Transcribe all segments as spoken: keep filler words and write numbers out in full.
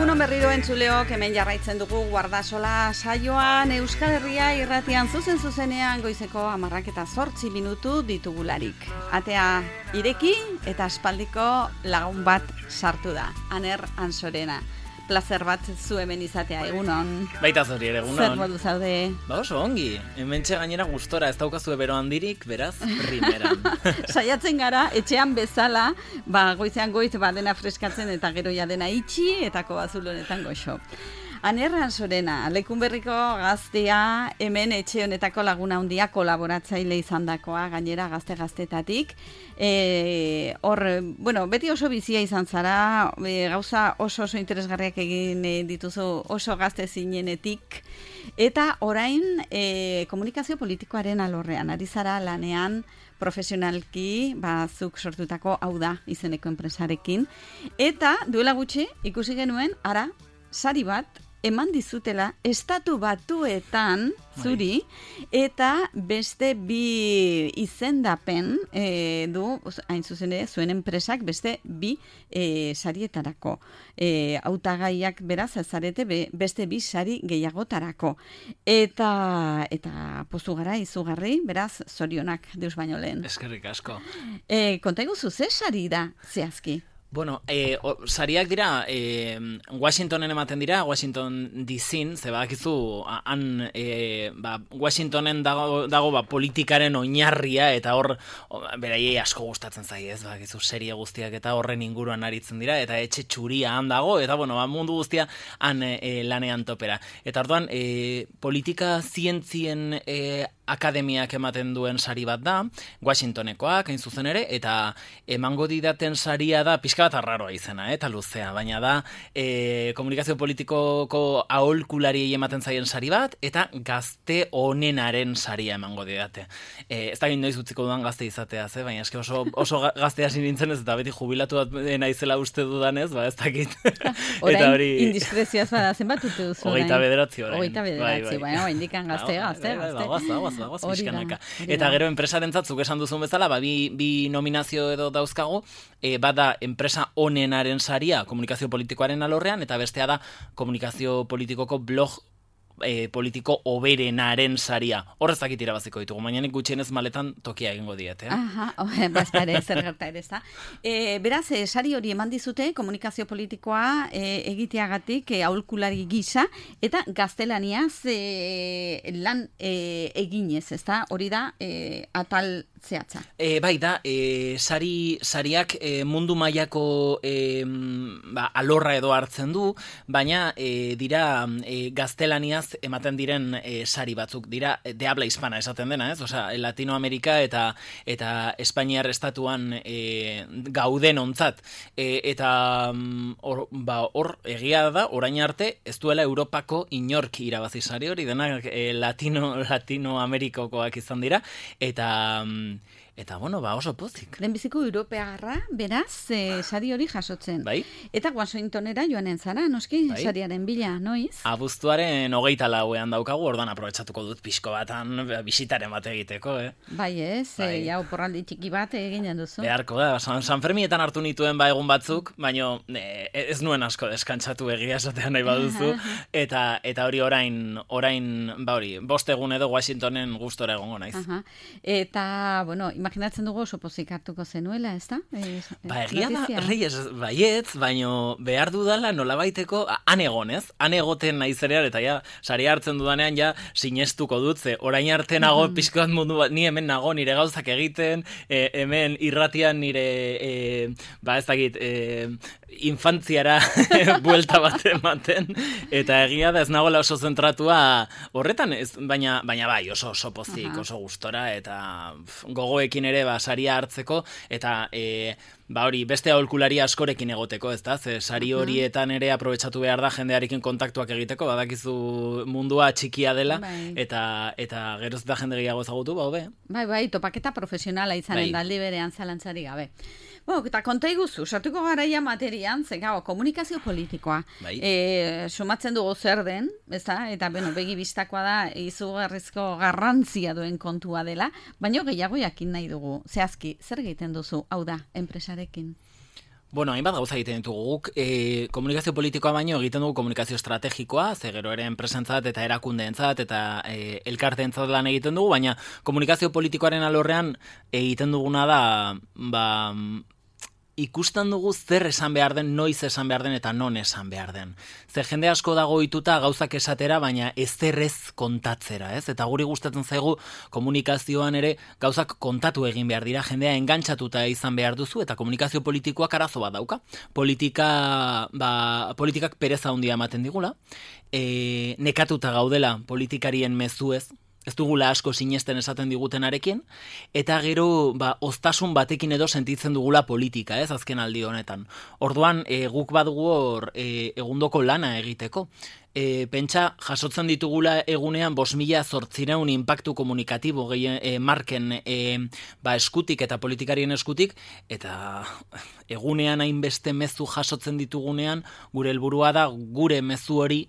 Egunon berriro entzuleok, hemen jarraitzen dugu Guardasola saioan Euskal Herria irratian zuzen zuzenean goizeko hamarrak eta zortzi minutu ditugularik. Atea ireki eta aspaldiko lagun bat sartu da, Aner Ansorena. Plazer bat zu hemen izatea, egunon. Baita zori ere, egunon. Zer modu zaude? Ba oso ongi, hementxe gainera gustora, ez daukazu ebero handirik, beraz, primeran. Saiatzen gara, etxean bezala, ba, goizean goiz, ba, dena freskatzen eta gero ja dena itxi, eta kobazulonetan goxo. Aner Ansorena, Lekunberriko gaztea, hemen etxe honetako laguna handia kolaboratzaile izandakoa, gainera gazte-gaztetatik. E, hor, bueno, beti oso bizia izan zara, e, gauza oso oso interesgarriak egin e, dituzu oso gazte zinenetik, eta orain e, komunikazio politikoaren alorrean, ari zara lanean profesionalki, ba, zuk sortutako hau da izeneko enpresarekin, eta duela gutxi ikusi genuen, ara, sari bat, eman dizutela estatu batuetan zuri, eta beste bi izendapen e, du, hain zuzen ere, zuen enpresak beste bi e, sarietarako. E, hautagaiak beraz, zarete be, beste bi sari gehiagotarako. Eta, eta pozu gara, izugarri, beraz, zorionak deus baino lehen. Eskerrik asko. E, konta iguzu, ze sari da zehazki? Bueno, eh, o, sariak dira, eh, Washingtonen ematen dira, Washington D C-n, ze badakizu, han, eh, ba, Washingtonen dago, dago ba, politikaren oinarria, eta hor, beraiei asko gustatzen zaie, ez, badakizu, serie guztiak eta horren inguruan aritzen dira, eta etxe txuria han dago, eta bueno, ba, mundu guztia han eh, lanean topera. Eta orduan, eh, politika zientzien eh, akademiak ematen duen sari bat da, Washingtonekoak, hain zuzen ere, eta emango didaten saria da, pixka bat arraroa izena, eta luzea, baina da e, komunikazio politikoko aholkulariei ematen zaien sari bat, eta gazte onenaren saria emango didate. E, ez da noiz utziko dudan gazte izatea, ze? Baina eske oso, oso gazte hasi nintzen ez, eta beti jubilatu bat naizela uste dudanez, ba ez dakit. Orain hori... indiskrezioaz bada, zenbat uste duzu? Hogeita bederatzi orain. Hogeita bederatzi, bueno, indikan gazte, gazte, gazte. Pixkanaka. Eta gero enpresarentzat zuk esan duzun bezala, ba, bi, bi nominazio edo dauzkagu, e, bada enpresa onenaren saria komunikazio politikoaren alorrean, eta bestea da komunikazio politikoko blog e, politiko oberenaren saria. Horrez dakit irabaziko ditugu, baina nik gutxienez maletan tokia egingo diet, eh? Aha, bazpare, zer gerta ere, ez da. E, beraz, e, sari hori eman dizute komunikazio politikoa e, egiteagatik e, aholkulari gisa, eta gaztelaniaz e, lan e, eginez, ez da? Hori da, e, atal zehatza. E, bai da, e, sari, sariak e, mundu mailako e, ba, alorra edo hartzen du, baina e, dira e, gaztelaniaz ematen diren e, sari batzuk, dira de habla hispana esaten dena, ez? Osea, Latinoamerika eta eta Espainiar estatuan e, gauden ontzat. E, eta hor, ba, hor egia da, orain arte, ez duela Europako inork irabazi sari hori, denak e, Latino, Latinoamerikokoak izan dira, eta... Eta, bueno, ba, oso pozik. Lehenbiziko europearra, beraz, e, sari hori jasotzen. Bai. Eta Washingtonera joanen zara, noski, bai. Sariaren bila, noiz? Abuztuaren hogeita lauean daukagu, ordan aprobetxatuko dut pixko batan bisitaren bat egiteko, eh? Bai ez, bai. E, jau porraldi txiki bat eginen duzu. Beharko da, San, San Fermietan hartu nituen ba egun batzuk, baino e, ez nuen asko deskantzatu egia esatean nahi baduzu, eta eta hori orain, orain, ba hori, bost egun edo Washingtonen gustora egongo naiz. Aha. Eta, bueno, imaginatzen dugu oso pozik hartuko zenuela, ez da? E, ba, egia da, Reyes, baietz, baino behar dudala nolabaiteko, han egon, ez? Han egoten naizerean, eta ja, sari hartzen dudanean, ja, sinestuko dut, ze orain arte nago mm. pixko bat mundu bat, ni hemen nago nire gauzak egiten, e, hemen irratian nire, e, ba ez dakit, e, infantziara buelta bat ematen, eta egia da ez nagoela oso zentratua horretan, ez, baina, baina bai, oso oso pozik, oso gustora, eta pf, gogoekin ere ba, saria hartzeko, eta e, ba hori, beste aholkulari askorekin egoteko, ez da? Ze sari horietan ere aprobetxatu behar da jendearekin kontaktuak egiteko, badakizu mundua txikia dela, bai. eta eta geroz eta jende gehiago ezagutu, ba hobe. Bai, bai, topaketa profesionala izanen bai. Daldi berean zalantzari gabe. Bueno, eta konta iguzu, sartuko garaia materian, ze gau, komunikazio politikoa. Bai. E, sumatzen dugu zer den, ez da? Eta, bueno, begi bistakoa da, izugarrizko garrantzia duen kontua dela, baina gehiago jakin nahi dugu. Zehazki, zer egiten duzu, hau da, enpresarekin? Bueno, hainbat gauza egiten ditugu guk, e, komunikazio politikoa baino egiten dugu komunikazio estrategikoa, ze gero ere enpresentzat eta erakundeentzat eta e, elkarteentzat lan egiten dugu, baina komunikazio politikoaren alorrean egiten duguna da, ba, ikusten dugu zer esan behar den, noiz esan behar den eta non esan behar den. Ze jende asko dago ohituta gauzak esatera, baina ezer ez kontatzera, ez? Eta guri gustatzen zaigu komunikazioan ere gauzak kontatu egin behar dira, jendea engantzatuta izan behar duzu, eta komunikazio politikoak arazo bat dauka. Politika, ba, politikak pereza handia ematen digula, e, nekatuta gaudela politikarien mezuez, ez dugula asko sinesten esaten digutenarekin, eta gero ba, oztasun batekin edo sentitzen dugula politika, ez, azken aldi honetan. Orduan, e, guk badugu hor e, egundoko lana egiteko. E, pentsa, jasotzen ditugula egunean bost mila zortzireun inpaktu komunikatibo gehien, e, marken e, ba, eskutik eta politikarien eskutik, eta egunean hainbeste mezu jasotzen ditugunean, gure helburua da gure mezu hori,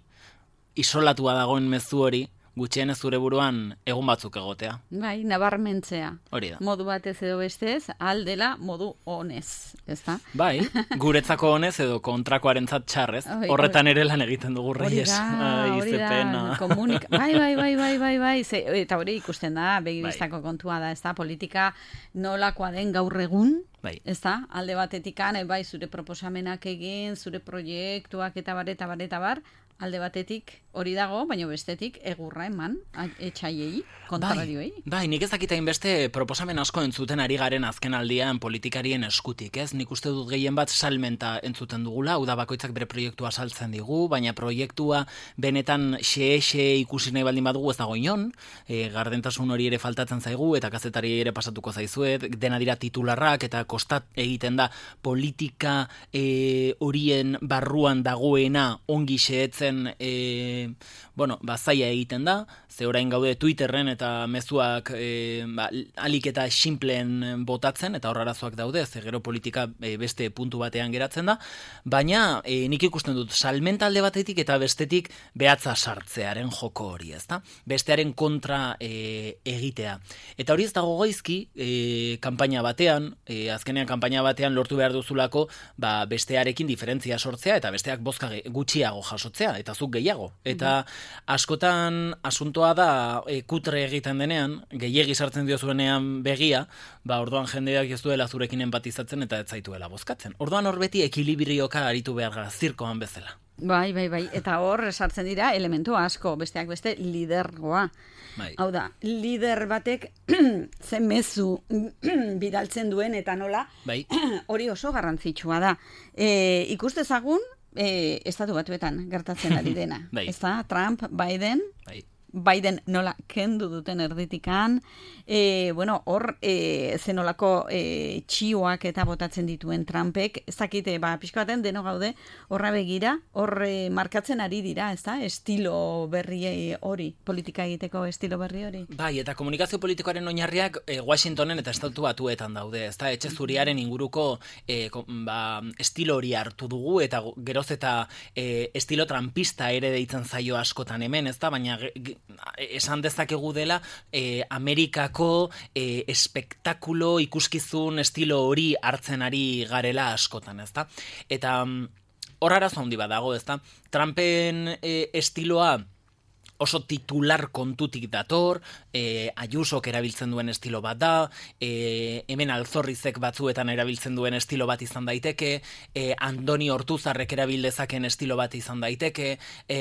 isolatua dagoen mezu hori, gutxienez zure buruan egun batzuk egotea. Bai, nabarmentzea. Hori da. Modu batez edo bestez, aldela modu honez, ezta? Bai, guretzako honez edo kontrakoarentzat txarrez. Horretan ere lan egiten dugu Reyes. Hori da, komunik... Bai, bai, bai, bai, bai, bai. Ze, eta hori ikusten da, begibistako bai. Kontua da, ezta? Politika nolakoa den gaur egun, bai. Ezta? Alde batetikan, bai, zure proposamenak egin, zure proiektuak eta bar, eta bar, eta bar, alde batetik hori dago, baina bestetik egurra eman etxaiei, kontrarioei. Bai, bai, nik ez dakita inbeste proposamen asko entzuten ari garen azken aldian politikarien eskutik, ez? Nik uste dut gehien bat salmenta entzuten dugula, hau da bakoitzak bere proiektua saltzen digu, baina proiektua benetan xe-xe ikusi nahi baldin badugu ez dago inon, e, gardentasun hori ere faltatzen zaigu, eta kazetari ere pasatuko zaizuet, dena dira titularrak, eta kostat egiten da politika e, horien barruan dagoena ongi xeetzen e, bueno, ba, zaila egiten da, ze orain gaude Twitterren eta mezuak e, ba, alik eta simpleen botatzen, eta hor arazoak daude, ze gero politika e, beste puntu batean geratzen da, baina e, nik ikusten dut salmenta alde batetik eta bestetik behatza sartzearen joko hori, ezta? Bestearen kontra e, egitea. Eta hori ez dago goizki, e, kanpaina batean, e, azkenean kanpaina batean lortu behar duzulako, ba, bestearekin diferentzia sortzea, eta besteak bozka gutxiago jasotzea, eta zuk gehiago. Eta askotan asuntoa da e, kutre egiten denean, gehiegi sartzen diozuenean begia, ba orduan jendeak ez duela zurekin empatizatzen eta ez zaituela bozkatzen. Orduan hor beti ekilibrioka aritu behar gara, zirkoan bezala. Bai, bai, bai. Eta hor sartzen dira elementu asko, besteak beste lidergoa. Bai. Hau da, lider batek zen mezu bidaltzen duen eta nola, bai. Hori oso garrantzitsua da. E, ikustezagun, E, estatu batuetan gertatzen ari dena. Bai. Ez da, Trump, Biden, bai. Biden nola kendu duten erditikan, e, bueno, hor e, zenolako e, txioak eta botatzen dituen Trumpek, ez dakite, ba, pixko baten deno gaude, horra begira, hor e, markatzen ari dira, ez da, estilo berri hori, politika egiteko estilo berri hori. Bai, eta komunikazio politikoaren oinarriak e, Washingtonen eta estatu batuetan daude, ez da, etxe zuriaren inguruko e, ba, estilo hori hartu dugu, eta geroz eta e, estilo trumpista ere deitzen zaio askotan hemen, ez da, baina esan dezakegu dela eh, Amerikako eh, espektakulo ikuskizun estilo hori hartzen ari garela askotan, ezta? Eta hor arazo handi bat dago, ezta? Trumpen eh, estiloa oso titular kontutik dator, e, Ayusok erabiltzen duen estilo bat da, e, hemen Alzorrizek batzuetan erabiltzen duen estilo bat izan daiteke, e, Andoni Ortuzarrek erabildezaken estilo bat izan daiteke, e,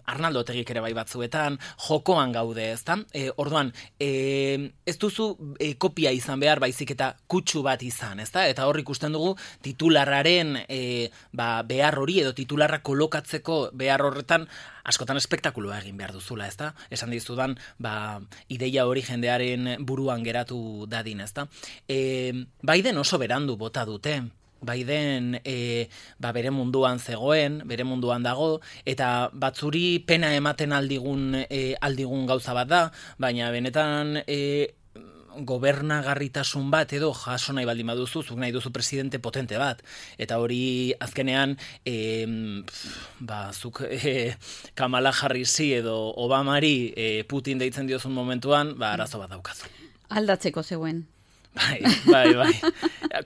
Arnaldo Otegik ere bai batzuetan, jokoan gaude, ezta? E, orduan, e, ez duzu e, kopia izan behar baizik eta kutsu bat izan, ezta? Eta hor ikusten dugu titularraren e, ba, behar hori edo titularra kolokatzeko behar horretan askotan espektakuloa egin behar duzula, ezta? Esan dizudan, ba, ideia hori jendearen buruan geratu dadin, ezta? E, Biden oso berandu bota dute. Biden e, ba, bere munduan zegoen, bere munduan dago, eta batzuri pena ematen aldigun, e, aldigun gauza bat da, baina benetan e, gobernagarritasun bat edo jaso nahi baldin baduzu, zuk nahi duzu presidente potente bat, eta hori azkenean e, ba, zuk e, Kamala Harrisi edo Obamari e, Putin deitzen diozun momentuan, ba, arazo bat daukazu. Aldatzeko zeuen. Bai, bai, bai.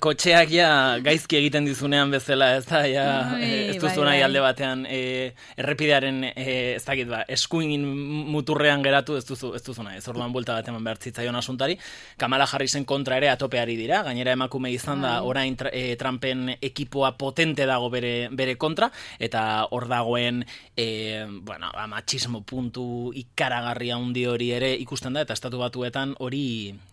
Kotxeak ja gaizki egiten dizunean bezala, ez da, ja, Bai, ez duzu bai, nahi bai. alde batean e, errepidearen, e, ez dakit ba, eskuin muturrean geratu ez duzu, ez duzu nahi, ez orduan buelta bat eman behar zitzaion asuntari. Kamala Harrisen kontra ere atopeari dira, gainera emakume izan da, orain tra, e, Trumpen ekipoa potente dago bere, bere kontra, eta hor dagoen, e, bueno, ba, matxismo puntu ikaragarria handi hori ere ikusten da, eta estatu batuetan hori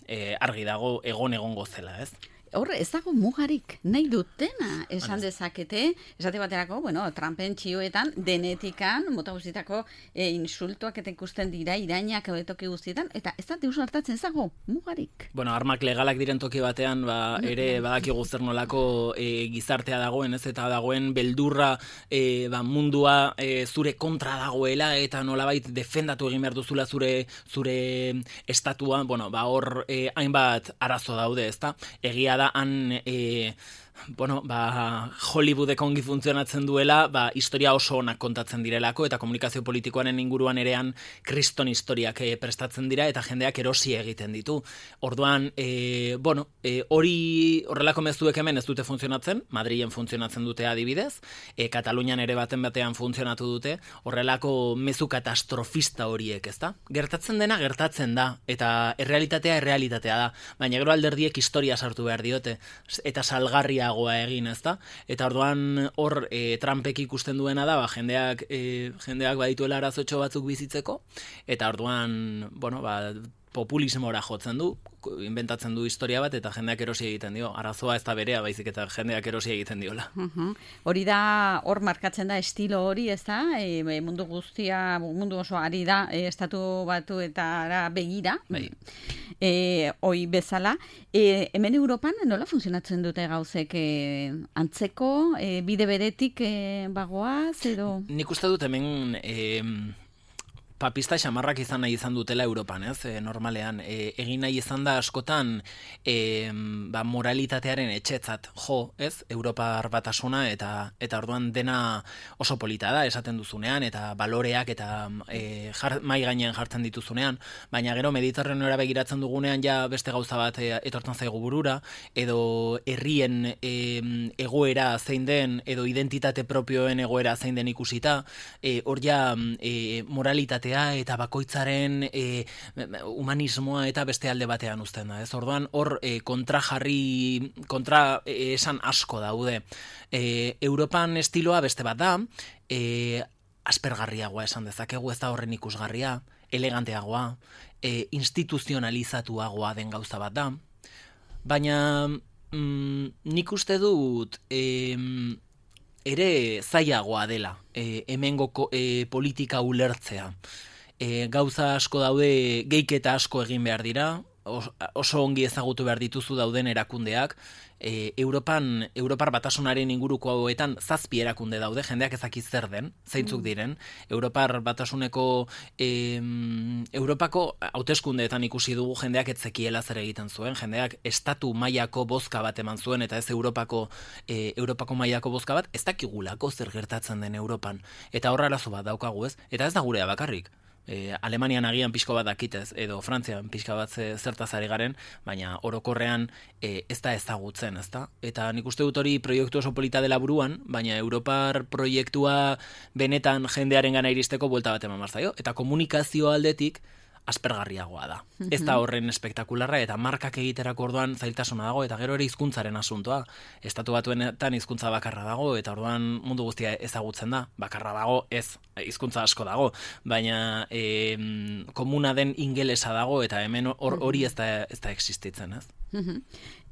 e, argi dago egon egongo zela, ez? Hor, ez dago mugarik, nahi dutena esan dezakete, esate baterako, bueno, Trumpen txioetan, denetikan, mota guztietako e, insultuak eta ikusten dira, irainak toki guztietan, eta ez da deus hartatzen ez dago mugarik. Bueno, armak legalak diren toki batean, ba, ere badakigu zer nolako e, gizartea dagoen, ez, eta dagoen beldurra e, ba, mundua e, zure kontra dagoela, eta nolabait defendatu egin behar duzula zure, zure estatua, bueno, ba, hor e, hainbat arazo daude, ezta? Egia da han e, bueno, ba, Hollywoodek ongi funtzionatzen duela, ba, historia oso onak kontatzen direlako, eta komunikazio politikoaren inguruan erean kriston historiak e, prestatzen dira, eta jendeak erosi egiten ditu. Orduan, e, bueno, e, hori horrelako mezuek hemen ez dute funtzionatzen, Madrilen funtzionatzen dute adibidez, e, Katalunian ere baten batean funtzionatu dute, horrelako mezu katastrofista horiek, ezta? Gertatzen dena gertatzen da, eta errealitatea errealitatea da, baina gero alderdiek historia sartu behar diote, eta salgarria goa egin, ezta? Eta orduan hor e, Trumpek ikusten duena da, ba, jendeak e, jendeak badituela arazotxo batzuk bizitzeko, eta orduan, bueno, ba, populismora jotzen du, inventatzen du historia bat, eta jendeak erosi egiten dio. Arazoa ez da berea, baizik eta jendeak erosi egiten diola. Uh-huh. Hori da, hor markatzen da estilo hori, ez da? E, mundu guztia, mundu oso ari da, e, estatu batu eta begira. Bai. E, hoi bezala. E, hemen Europan nola funtzionatzen dute gauzek e, antzeko, e, bide beretik e, bagoaz, edo? Nik uste dut hemen... E, papista xamarrak izan nahi izan dutela Europan, ez? E, normalean, e, egin nahi izan da askotan e, ba, moralitatearen etxetzat jo, ez? Europar batasuna, eta eta orduan dena oso polita da, esaten duzunean, eta baloreak eta e, jar, mai gainean jartzen dituzunean, baina gero Mediterraneora begiratzen dugunean ja beste gauza bat e, etortzen zaigu burura, edo herrien e, egoera zein den, edo identitate propioen egoera zein den ikusita, e, hor ja e, moralitatea eta bakoitzaren e, humanismoa eta beste alde batean uzten da. Ez orduan hor e, kontra jarri, kontra e, esan asko daude. E, Europan estiloa beste bat da, e, aspergarriagoa esan dezakegu, ez da horren ikusgarria, eleganteagoa, e, instituzionalizatuagoa den gauza bat da, baina mm, nik uste dut... E, ere zailagoa dela, e, hemengo e, politika ulertzea. E, gauza asko daude, geiketa asko egin behar dira, os, oso ongi ezagutu behar dituzu dauden erakundeak, e, Europan, Europar batasunaren inguruko hauetan zazpi erakunde daude, jendeak ezaki zer den, zeintzuk diren, Europar batasuneko, e, Europako hauteskundeetan ikusi dugu jendeak ez zekiela zer egiten zuen, jendeak estatu mailako bozka bat eman zuen, eta ez Europako, e, Europako mailako bozka bat, ez dakigulako zer gertatzen den Europan, eta horra arazo bat daukagu, ez? Eta ez da gurea bakarrik. E, Alemanian agian pixko bat dakitez, edo Frantzian pixka bat zertaz ari garen, baina orokorrean e, ez da ezagutzen, ez da? Eta nik uste dut hori proiektu oso polita dela buruan, baina Europar proiektua benetan jendearen gana iristeko buelta bat eman marzaio, eta komunikazio aldetik aspergarriagoa da. Ez da horren espektakularra, eta markak egiterako orduan zailtasuna dago, eta gero ere hizkuntzaren asuntoa. Estatu batuenetan hizkuntza bakarra dago, eta orduan mundu guztia ezagutzen da. Bakarra dago, ez, hizkuntza asko dago, baina e, komuna den ingelesa dago, eta hemen hori ez da, ez da existitzen, ez?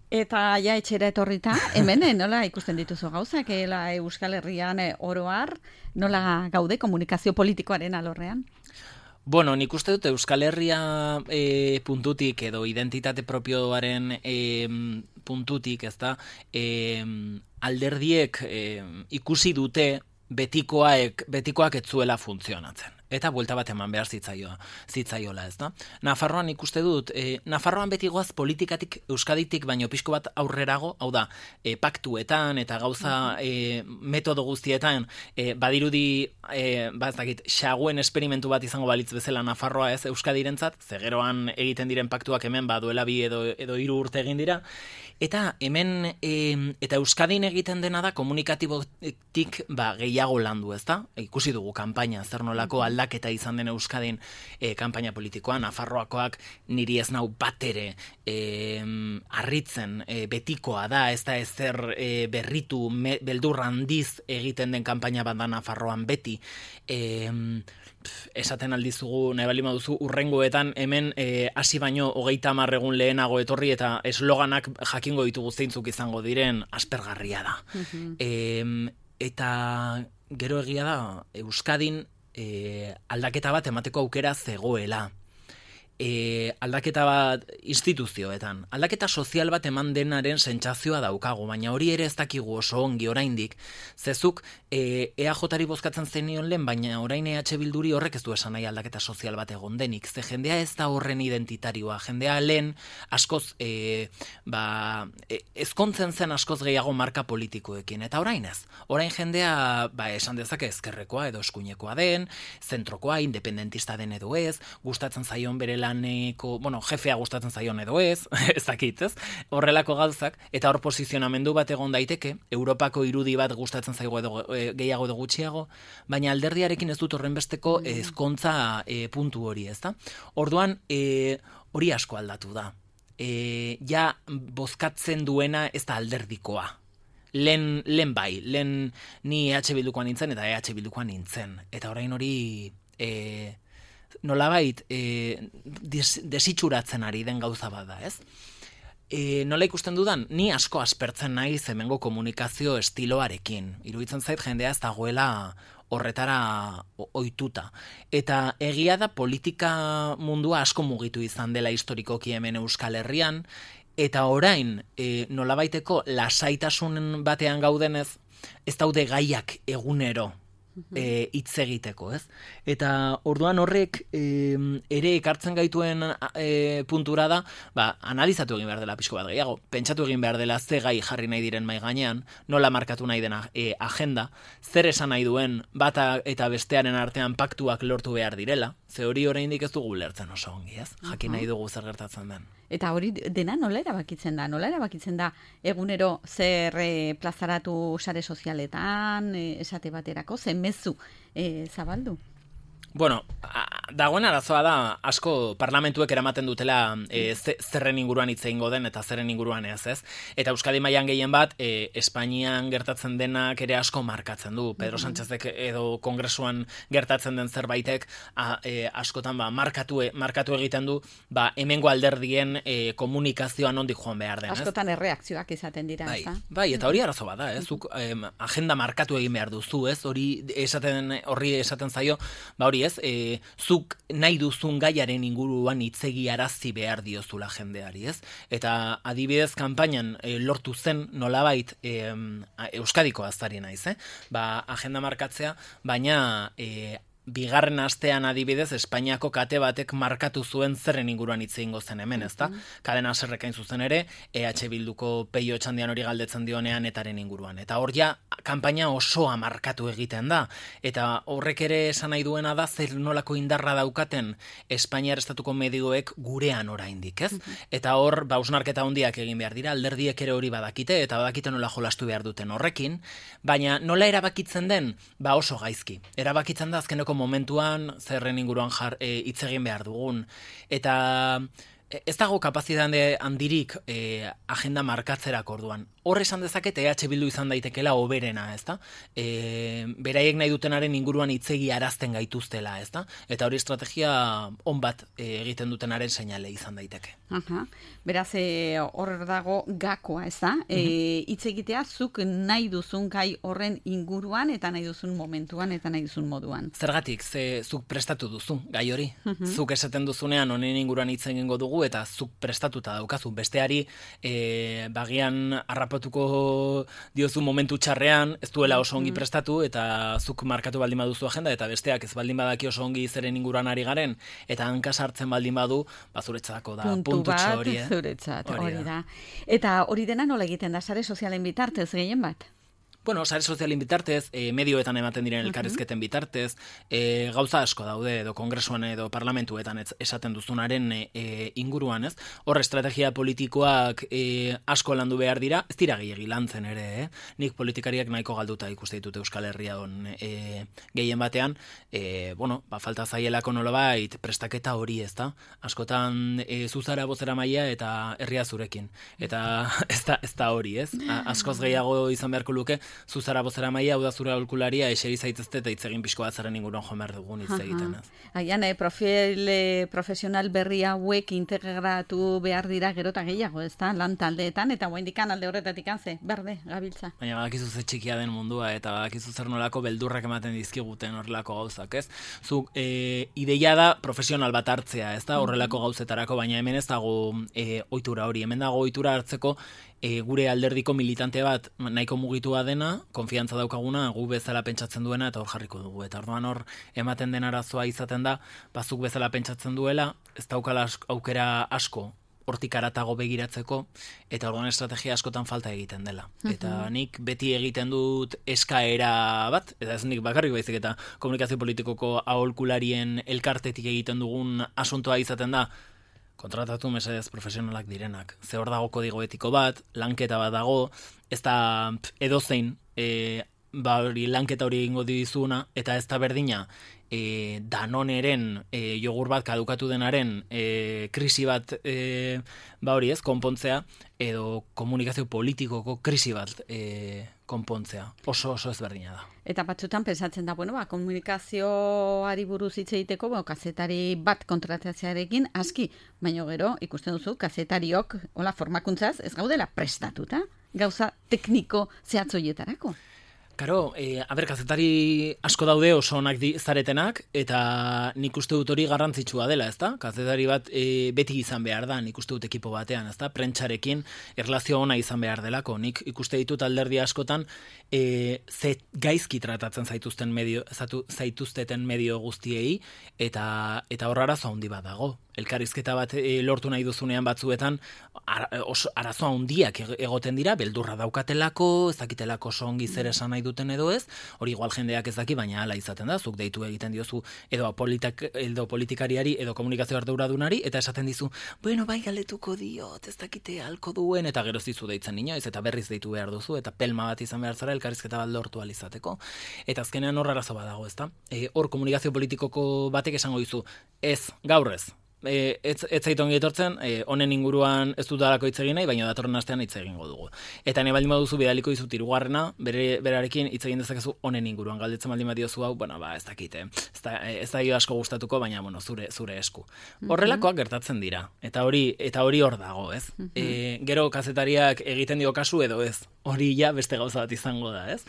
Eta ja etxera etorrita, hemen nola ikusten dituzu gauzak, ela Euskal Herrian oroar, nola gaude komunikazio politikoaren alorrean? Bueno, nik uste dut Euskal Herria e, puntutik edo identitate propioaren e, puntutik, ez da, e, alderdiek e, ikusi dute betikoak, betikoak ez zuela funtzionatzen. eta buelta bat eman behar zitzaio, zitzaiola, ez da? Nafarroan ikuste dut, e, Nafarroan beti goaz politikatik, Euskaditik, baino pixko bat aurrerago, hau da, e, paktuetan eta gauza e, metodo guztietan, e, badirudi, e, ba ez dakit, xaguen esperimentu bat izango balitz bezala Nafarroa ez Euskadirentzat, zegeroan egiten diren paktuak hemen, ba duela bi edo, edo hiru urte egin dira, eta hemen, e, eta Euskadin egiten dena da komunikatibotik ba, gehiago landu, ez da? E, ikusi dugu kanpaina, zer nolako aldaketa izan den Euskadin e, kanpaina politikoa, Nafarroakoak niri ez nau bat ere e, harritzen e, betikoa da, ez da ezer e, berritu, me, beldur handiz egiten den kanpaina bat da Nafarroan beti. E, esaten aldizugu, nahi bali maduzu, urrengoetan hemen hasi e, baino hogeita hamar egun lehenago etorri eta esloganak jakingo ditugu zeintzuk izango diren aspergarria da. Mm-hmm. e, eta gero egia da, Euskadin e, aldaketa bat emateko aukera zegoela. E, aldaketa bat instituzioetan, aldaketa sozial bat eman denaren sentsazioa daukagu, baina hori ere ez dakigu oso ongi oraindik, zezuk e, E A Jari bozkatzen zenion lehen, baina orain E H Bilduri horrek ez du esan nahi aldaketa sozial bat egon denik, ze jendea ez da horren identitarioa, jendea lehen askoz e, ba, e, ezkontzen zen askoz gehiago marka politikoekin, eta orain ez, orain jendea ba, esan dezake ezkerrekoa edo eskuinekoa den, zentrokoa, independentista den edo ez, gustatzen zaion bere laneko, bueno, jefea gustatzen zaion edo ez, ez dakit, ez? Horrelako gauzak, eta hor posizionamendu bat egon daiteke, Europako irudi bat gustatzen zaigo edo e, gehiago edo gutxiago, baina alderdiarekin ez dut horrenbesteko mm. ezkontza e, puntu hori, ez da? Orduan, e, hori asko aldatu da. E, ja, bozkatzen duena ez da alderdikoa. Lehen, lehen bai, lehen ni E H Bildukoan nintzen eta E H Bildukoan nintzen. Eta orain hori... E, nolabait e, des, desitxuratzen ari den gauza bada, ez? E, nola ikusten dudan, ni asko aspertzen nahi hemengo komunikazio estiloarekin. Iruditzen zait jendea ez dagoela horretara ohituta. Eta egia da politika mundua asko mugitu izan dela historikoki hemen Euskal Herrian, eta orain e, nolabaiteko lasaitasun batean gaudenez, ez daude gaiak egunero E, hitz egiteko, ez? Eta orduan horrek e, ere ekartzen gaituen e, puntura da, ba, analizatu egin behar dela pixko bat gehiago, pentsatu egin behar dela ze gai jarri nahi diren mai gainean, nola markatu nahi dena e, agenda, zer esan nahi duen bata eta bestearen artean paktuak lortu behar direla, ze hori oraindik ez dugu lertzen oso ongi, ez? Jakin nahi dugu zer gertatzen den. Eta hori dena nola erabakitzen da? Nola erabakitzen da egunero zer e, plazaratu sare sozialetan, e, esate baterako, zen mezu e, zabaldu? Bueno, dagoen arazoa da, asko parlamentuek eramaten dutela e, zerren inguruan hitz egingo den eta zerren inguruan ez, ez? Eta Euskadi mailan gehien bat, e, Espainian gertatzen denak ere asko markatzen du. Pedro Sánchezek edo kongresuan gertatzen den zerbaitek a, e, askotan ba, markatu, markatu egiten du ba, hemengo alderdien e, komunikazioa nondik joan behar den, ez? Askotan erreakzioak izaten dira, bai, ez da? Bai, eta hori arazo bada, ez? Zuk em, agenda markatu egin behar duzu, ez? Hori esaten, horri esaten zaio, ba hori ez, e, zuk nahi duzun gaiaren inguruan hitzegi arazi behar diozula jendeari, ez? Eta adibidez kanpainan e, lortu zen nolabait e, Euskadiko azari naiz, eh? Ba, agenda markatzea, baina e, bigarren astean adibidez Espainiako kate batek markatu zuen zerren inguruan hitz egingo zen hemen, ezta? Kadena Serrekain zuzen ere, E H Bilduko Peio Etxandian hori galdetzen dionean etaren inguruan. Eta hor ja kanpaina osoa markatu egiten da. Eta horrek ere esan nahi duena da zer nolako indarra daukaten Espainiar estatuko medioek gurean oraindik, ez? Eta hor ba hausnarketa handiak egin behar dira, alderdiek ere hori badakite eta badakite nola jolastu behar duten horrekin, baina nola erabakitzen den, ba oso gaizki. Erabakitzen da azkeneko momentuan zerren inguruan jar hitz egin behar dugun. Eta ez dago kapazitate handirik e, agenda markatzerak orduan. Hor esan dezaket E H Bildu izan daitekela hoberena, ezta? E, beraiek nahi dutenaren inguruan hitzegi arazten gaituztela, ezta? Eta hori estrategia on bat e, egiten dutenaren seinale izan daiteke. Aha. Beraz, e, hor dago gakoa, ezta? E, hitz egitea zuk nahi duzun gai horren inguruan eta nahi duzun momentuan eta nahi duzun moduan. Zergatik, ze zuk prestatu duzu gai hori. Zuk esaten duzunean honen inguruan hitz egingo dugu eta zuk prestatuta daukazu. Besteari e, bagian harrapo errespatuko diozu momentu txarrean, ez duela oso ongi prestatu, eta zuk markatu baldin baduzu agenda, eta besteak ez baldin badaki oso ongi zeren inguruan ari garen, eta hanka sartzen baldin badu, ba zuretzako da puntutxo hori. Puntu bat, zuretzat, hori da. Eta hori dena nola egiten da, sare sozialen bitartez gehien bat? Bueno, sare sozialin bitartez, e, medioetan ematen diren elkarrizketen bitartez, e, gauza asko daude, edo kongresuan edo parlamentuetan ez, esaten duzunaren e, inguruan, ez? Hor, estrategia politikoak e, asko landu behar dira, ez dira gehiagi lantzen ere, eh? Nik politikariak nahiko galduta ikuste ditut Euskal Herria on e, gehien batean, e, bueno, ba, falta zaielako nolabait prestaketa hori, ez da? Askotan e, zuzara bozera maila eta herria zurekin, eta ez da, ez da hori, ez? A, askoz gehiago izan beharko luke, zuzara bozera maia, hau da zure aholkularia, eseri zaitezte eta itzegin pixko bat zaren inguruan joan behar dugun hitz egiten. Agian, eh, profil eh, profesional berri hauek integratu behar dira gero eta gehiago, ez da, lan taldeetan, eta guaindikan alde horretatik anze, berde, gabiltza. Baina badakizu ze txikia den mundua, eta badakizu zer nolako beldurrak ematen dizkiguten horrelako gauzak, ez? Zuk, e, ideia da profesional bat hartzea, ez da, horrelako gauzetarako, baina hemen ez dago e, ohitura hori, hemen dago ohitura hartzeko, E, gure alderdiko militante bat nahiko mugitua dena, konfiantza daukaguna, gu bezala pentsatzen duena eta hor jarriko dugu. Eta orduan hor ematen den arazoa izaten da, bazuk bezala pentsatzen duela, ez daukala aukera asko hortik haratago begiratzeko, eta orduan estrategia askotan falta egiten dela. Eta nik beti egiten dut eskaera bat, eta ez nik bakarrik baizik, eta komunikazio politikoko aholkularien elkartetik egiten dugun asuntoa izaten da, kontratatu mesedez profesionalak direnak. Ze hor dago kodigo etiko bat, lanketa bat dago, ez da edozein e, ba hori lanketa hori egingo dizuna, eta ez da berdina e, Danoneren e, jogur bat kadukatu denaren e, krisi bat e, ba hori ez, konpontzea, edo komunikazio politikoko krisi bat e, konpontzea. Oso oso ezberdina da. Eta batzutan pensatzen da, bueno, ba, komunikazioari buruz hitz egiteko, bueno, kazetari bat kontratatzearekin aski, baina gero ikusten duzu kazetariok hola formakuntzaz ez gaudela prestatuta gauza tekniko zehatzoietarako. Karo, e, aber, kazetari asko daude oso onak zaretenak, eta nik uste dut hori garrantzitsua dela, ezta? Kazetari bat e, beti izan behar da, nik uste dut ekipo batean, ezta? Prentsarekin erlazio ona izan behar delako. Nik ikuste ditut alderdi askotan, e, ze gaizki tratatzen zaituzten medio, zatu, zaituzteten medio guztiei, eta eta hor arazo handi bat dago. Elkarrizketa bat e, lortu nahi duzunean batzuetan ara, oso, arazo handiak egoten dira, beldurra daukatelako, ez dakitelako oso ongi zer esan nahi duten edo ez, hori igual jendeak ez daki, baina hala izaten da, zuk deitu egiten diozu edo, politak, edo politikariari edo komunikazio arduradunari, eta esaten dizu, bueno, bai galdetuko diot, ez dakite halko duen, eta gero zizu deitzen inoiz, eta berriz deitu behar duzu, eta pelma bat izan behar zara elkarrizketa bat lortu alizateko. Eta azkenean hor arazo badago, ezta? E, hor komunikazio politikoko batek esango dizu, ez, gaurrez, E, ez, ez zaitu ongi etortzen, e, honen inguruan ez dut dalako hitz egin nahi, baina datorren astean hitz egingo dugu. Eta ne baldin baduzu bidaliko dizut hirugarrena, bere berarekin hitz egin dezakezu honen inguruan. Galdetzen baldin badiozu hau, bueno, ba, ez dakite. Ez da ez da asko gustatuko, baina bueno, zure zure esku. Horrelakoak gertatzen dira. Eta hori eta hori hor dago, ez? E, gero kazetariak egiten dio kasu edo ez. Hori ja beste gauza bat izango da, ez?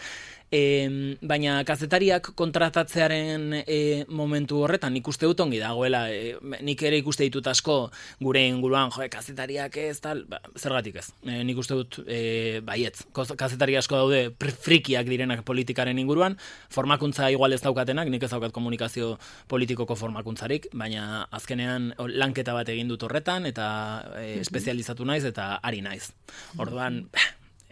E, baina kazetariak kontratatzearen e, momentu horretan nik uste dut ongi dagoela, e, nik ere ikuste ditut asko gure inguruan, jo, kazetariak ez, tal, ba, zergatik ez. E, nik uste dut e, baietz, kazetari asko daude frikiak direnak politikaren inguruan, formakuntza igual ez daukatenak, nik ez daukat komunikazio politikoko formakuntzarik, baina azkenean lanketa bat egin dut horretan, eta e, espezializatu naiz, eta ari naiz. Orduan,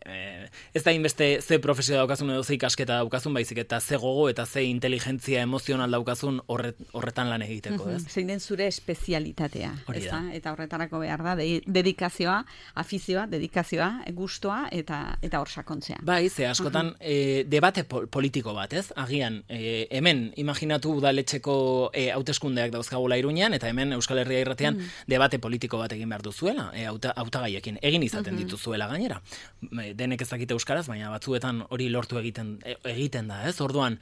Eh, ez da inbeste ze profesio daukazun edo ze ikasketa daukazun, baizik eta ze gogo eta ze inteligentzia emozional daukazun horret, horretan lan egiteko, ez? Zein den zure espezialitatea, ez da? Eta horretarako behar da, de, dedikazioa, afizioa, dedikazioa, gustoa eta eta hor sakontzea. Bai, ze askotan e, debate pol politiko bat, ez? Agian, e, hemen imaginatu udaletxeko e, hauteskundeak dauzkagula Iruñean, eta hemen Euskal Herria Irratian mm. debate politiko bat egin behar duzuela, e, hautagaiekin, egin izaten mm-hmm. dituzuela gainera. Denek ez dakite euskaraz, baina batzuetan hori lortu egiten egiten da, ez? Orduan,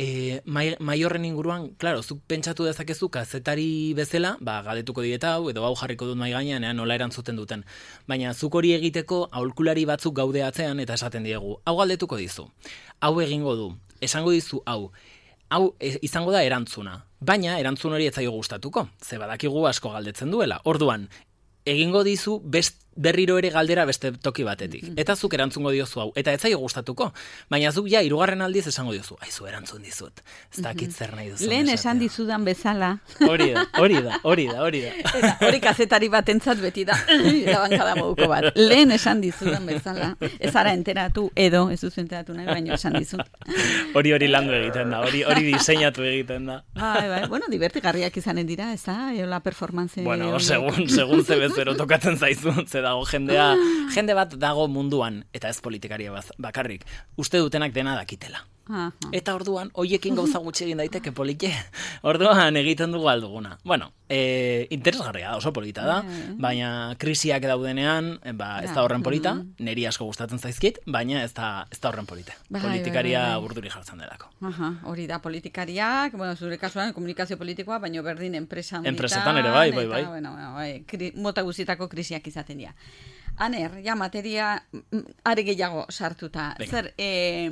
e, mai, mai horren inguruan, claro, zuk pentsatu dezakezu kazetari bezala, ba galdetuko dieta hau edo hau jarriko dut mai gainean, nola erantzuten duten. Baina zuk hori egiteko aholkulari batzuk gaude atzean eta esaten diegu, hau galdetuko dizu. Hau egingo du. Esango dizu hau. Hau e, izango da erantzuna. Baina erantzun hori ez zaio gustatuko. Ze badakigu asko galdetzen duela. Orduan, egingo dizu best, berriro ere galdera beste toki batetik. Eta zuk erantzungo diozu hau. Eta ez zaio gustatuko. Baina zuk ja, hirugarren aldiz esango diozu. Aizu erantzun dizut. Ez dakit zer nahi duzu. Lehen esan dizudan bezala. Hori da, hori da, hori da, hori da. Eta hori kazetari bat entzat beti da. Da bankada moduko bat. Lehen esan dizudan bezala. Ez ara enteratu edo, ez duzu enteratu nahi, baino esan dizut. Hori hori landu egiten da, hori hori diseinatu egiten da. Bai, bai, bueno, divertigarriak izanen dira, ez da? Eola performance... Bueno, segun, segun ze bezero tokatzen zaizu, ze dago jendea, jende bat dago munduan, eta ez politikaria bakarrik, uste dutenak dena dakitela. Aha. Eta orduan, hoiekin gauza gutxi egin daiteke polite. Orduan egiten dugu alduguna. Bueno, e, interesgarria da, oso polita da, baina krisiak daudenean, ba, ez da horren polita, niri asko gustatzen zaizkit, baina ez da, ez da horren polite. Politikaria burduri jartzen delako. Aha, hori da politikariak, bueno, zure kasuan komunikazio politikoa, baina berdin enpresan. Enpresetan ere bai, bai, bai. Eta, bueno, bai, kri, mota guztietako krisiak izaten dira. Aner, ja, materia are gehiago sartuta. Venga. Zer, eh,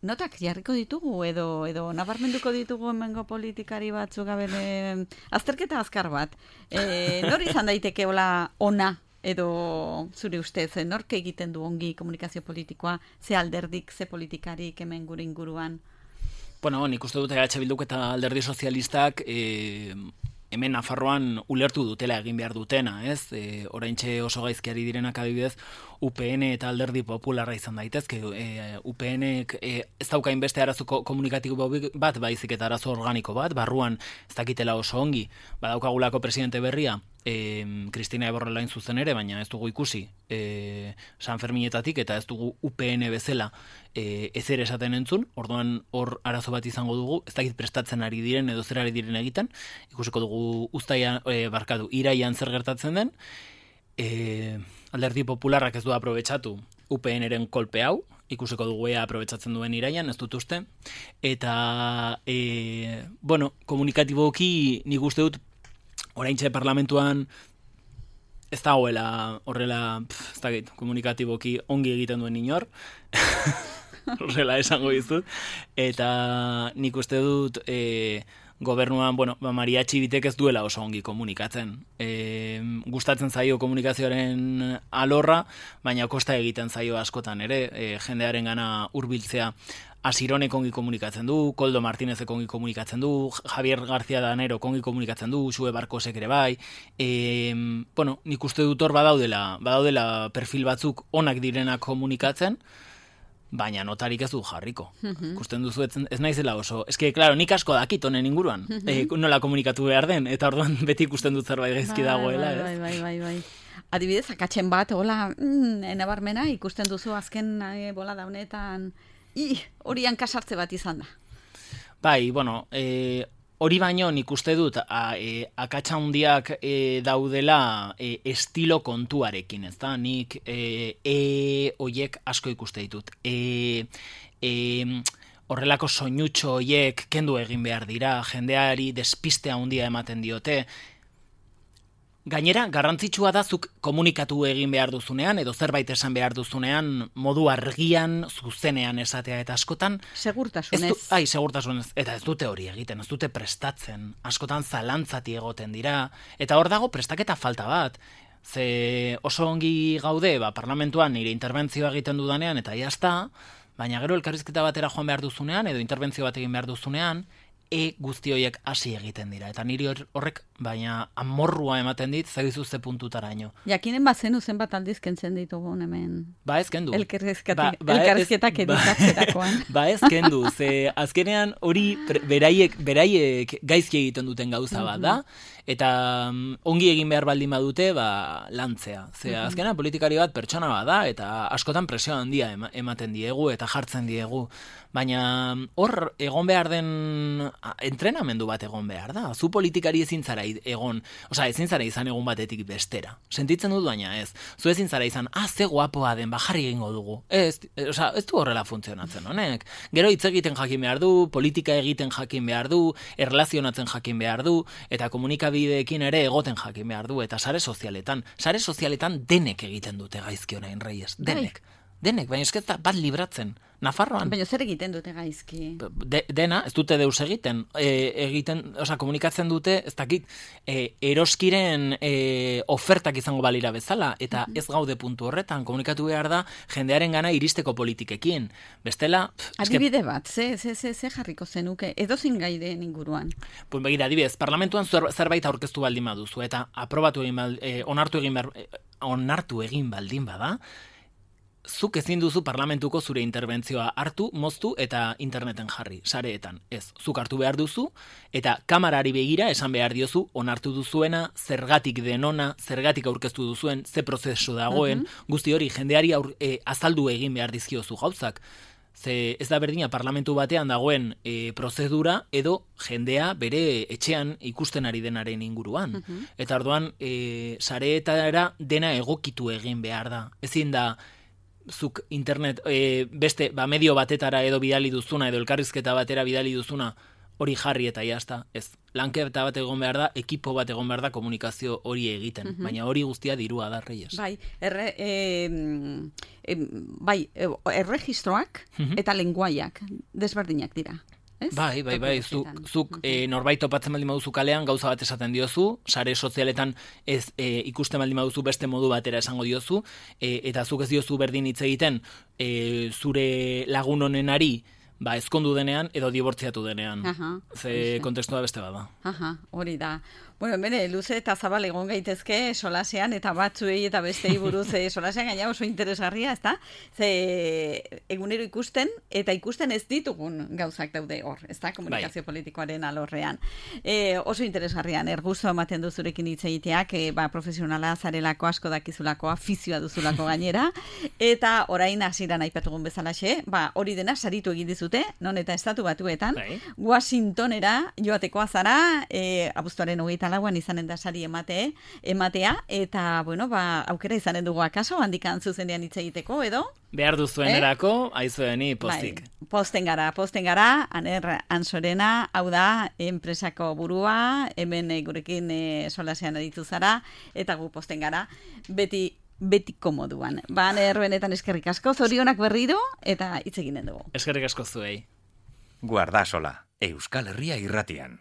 notak jarriko ditugu edo edo nabarmenduko ditugu hemengo politikari batzuk gabele azterketa azkar bat. E, nor izan daiteke hola ona edo zure ustez, nork egiten du ongi komunikazio politikoa, ze alderdik, ze politikarik hemen gure inguruan? Bueno, nik uste dute H Bilduk eta alderdi sozialistak e, hemen Nafarroan ulertu dutela egin behar dutena, ez? E, oraintxe oso gaizkiari direnak adibidez, U P N eta alderdi popularra izan daitezke. E, U PNek e, ez daukain beste arazo komunikatibo bat, baizik eta arazo organiko bat, barruan ez dakitela oso ongi, badaukagulako presidente berria, e, Kristina Eborrelain zuzen ere, baina ez dugu ikusi e, San Ferminetatik, eta ez dugu U P N bezala e, ezer esaten entzun, orduan hor arazo bat izango dugu, ez dakit prestatzen ari diren edo zer ari diren egiten, ikusiko dugu uztaian, e, barkatu, iraian zer gertatzen den, e, alderdi popularrak ez du aprobetxatu U P N-eren kolpe hau, ikusiko dugu ea aprobetxatzen duen iraian, ez dut uste, eta, e, bueno, komunikatiboki nik uste dut, oraintxe parlamentuan ez dagoela horrela, pf, ez dakit, komunikatiboki ongi egiten duen inor, horrela esango dizut, eta nik uste dut e, gobernuan, bueno, ba, Maria Txibitek ez duela oso ongi komunikatzen. E, gustatzen zaio komunikazioaren alorra, baina kosta egiten zaio askotan ere, e, jendearen gana hurbiltzea. Asironek ongi komunikatzen du, Koldo Martinezek ongi komunikatzen du, Javier García Danero ongi komunikatzen du, Xue Barkosek ere bai. E, bueno, nik uste dut hor badaudela, badaudela perfil batzuk onak direnak komunikatzen, baina notarik ez du jarriko. Ikusten duzu ez, ez naizela oso. Ez que, claro, nik asko dakit honen inguruan. e, nola komunikatu behar den, eta orduan beti ikusten dut zerbait gaizki dagoela. Bai, bai, bai, bai, bai. Adibidez, akatzen bat, hola, mm, enabarmena, ikusten duzu azken e, bola daunetan, i, horian kasartze bat izan da. Bai, bueno, e, hori baino nik uste dut a, e, akatsa handiak e, daudela e, estilo kontuarekin, ez da? Nik e, e oiek asko ikuste ditut. E, e, horrelako soinutxo oiek kendu egin behar dira, jendeari despistea handia ematen diote. Gainera, garrantzitsua da zuk komunikatu egin behar duzunean, edo zerbait esan behar duzunean, modu argian, zuzenean esatea eta askotan... Segurtasunez. Du, ai, segurtasunez. Eta ez dute hori egiten, ez dute prestatzen. Askotan zalantzati egoten dira. Eta hor dago prestaketa falta bat. Ze oso ongi gaude, ba, parlamentuan nire interbentzioa egiten dudanean, eta jazta, baina gero elkarrizketa batera joan behar duzunean, edo interbentzio bat egin behar duzunean, e guzti horiek hasi egiten dira. Eta niri horrek, baina amorrua ematen dit, zagizu ze puntutaraino. Jakinen bazenu zenbat aldiz kentzen ditugu hemen. Ba ez kendu. Elkarrizketak ba, ba editatzerakoan. Ba, ba ez kendu, ze azkenean hori beraiek, beraiek gaizki egiten duten gauza bat da, eta um, ongi egin behar baldin badute, ba, lantzea. Ze azkenean politikari bat pertsona bat da, eta askotan presio handia ematen diegu, eta jartzen diegu. Baina hor egon behar den entrenamendu bat egon behar da. Zu politikari ezin zara egon, osea, ezin zara izan egun batetik bestera. Sentitzen dut baina ez. Zu ezin zara izan, ah, ze guapoa den, bajarri egingo dugu. Ez, osea, ez du horrela funtzionatzen honek. Gero hitz egiten jakin behar du, politika egiten jakin behar du, erlazionatzen jakin behar du, eta komunikabideekin ere egoten jakin behar du, eta sare sozialetan. Sare sozialetan denek egiten dute gaizki honain, Reyes, denek. denek, baina esket bat libratzen. Nafarroan. Baina zer egiten dute gaizki? De, dena, ez dute deus egiten. E, egiten, oza, komunikatzen dute, ez dakit, e, eroskiren e, ofertak izango balira bezala, eta ez gaude puntu horretan, komunikatu behar da jendearen gana iristeko politikekin. Bestela... Pff, adibide bat, ze, ze, ze, ze jarriko zenuke, edo zingaideen inguruan? Pues begira, adibidez, parlamentuan zer, zerbait aurkeztu baldin baduzu, eta aprobatu egin baldin, e, onartu egin, ber, e, onartu egin baldin bada, zuk ezin duzu parlamentuko zure interbentzioa hartu, moztu eta interneten jarri, sareetan. Ez, zuk hartu behar duzu, eta kamarari begira esan behar diozu, onartu duzuena, zergatik denona, zergatik aurkeztu duzuen, ze prozesu dagoen, uh-huh. guzti hori jendeari aur, e, azaldu egin behar dizkiozu gauzak. Ze ez da berdina parlamentu batean dagoen e, prozedura edo jendea bere etxean ikusten ari denaren inguruan. Uh-huh. Eta orduan, e, sareetara dena egokitu egin behar da. Ezin da, zuk internet e, beste ba, medio batetara edo bidali duzuna edo elkarrizketa batera bidali duzuna hori jarri eta jazta. Ez, lanketa bat egon behar da, ekipo bat egon behar da komunikazio hori egiten. Uh-huh. Baina hori guztia dirua da, Reyes. Bai, erre, e, e, bai erregistroak uh-huh. eta lenguaiak desberdinak dira. Ez? Bai, bai, bai, zuk, zuk uh-huh. e, norbait topatzen baldin baduzu kalean gauza bat esaten diozu, sare sozialetan ez e, ikusten baldin baduzu beste modu batera esango diozu, e, eta zuk ez diozu berdin hitz egiten e, zure lagun honenari ba, ezkondu denean edo dibortziatu denean. Aha, ze kontekstua beste bada. Aha, hori da. Bueno, bere, luze eta zabal egon gaitezke solasean eta batzuei eta bestei buruz e, solasean gaina oso interesgarria, ezta? Ze egunero ikusten eta ikusten ez ditugun gauzak daude hor, ezta? Komunikazio bai. Politikoaren alorrean. E, oso interesgarrian, ergusto ematen duzurekin hitz egiteak, e, ba, profesionala zarelako asko dakizulako, afizioa duzulako gainera, eta orain hasieran aipatugun bezalaxe, ba, hori dena saritu egin dizute, non eta estatu batuetan, bai. Washingtonera joatekoa zara, e, abuztuaren hogeita lauan izanen da sari emate, ematea, eta, bueno, ba, aukera izanen dugu akaso, handikan zuzenean hitz egiteko, edo? Behar duzuen eh? erako, aizueni pozik. Bai, posten gara, posten gara, Aner Ansorena, hau da, enpresako burua, hemen gurekin e, solasean aditu zara, eta gu posten gara, beti betiko moduan. Ba, Aner, benetan eskerrik asko, zorionak berriro, eta hitz eginen dugu. Eskerrik asko zuei. Guardasola, Euskal Herria irratian.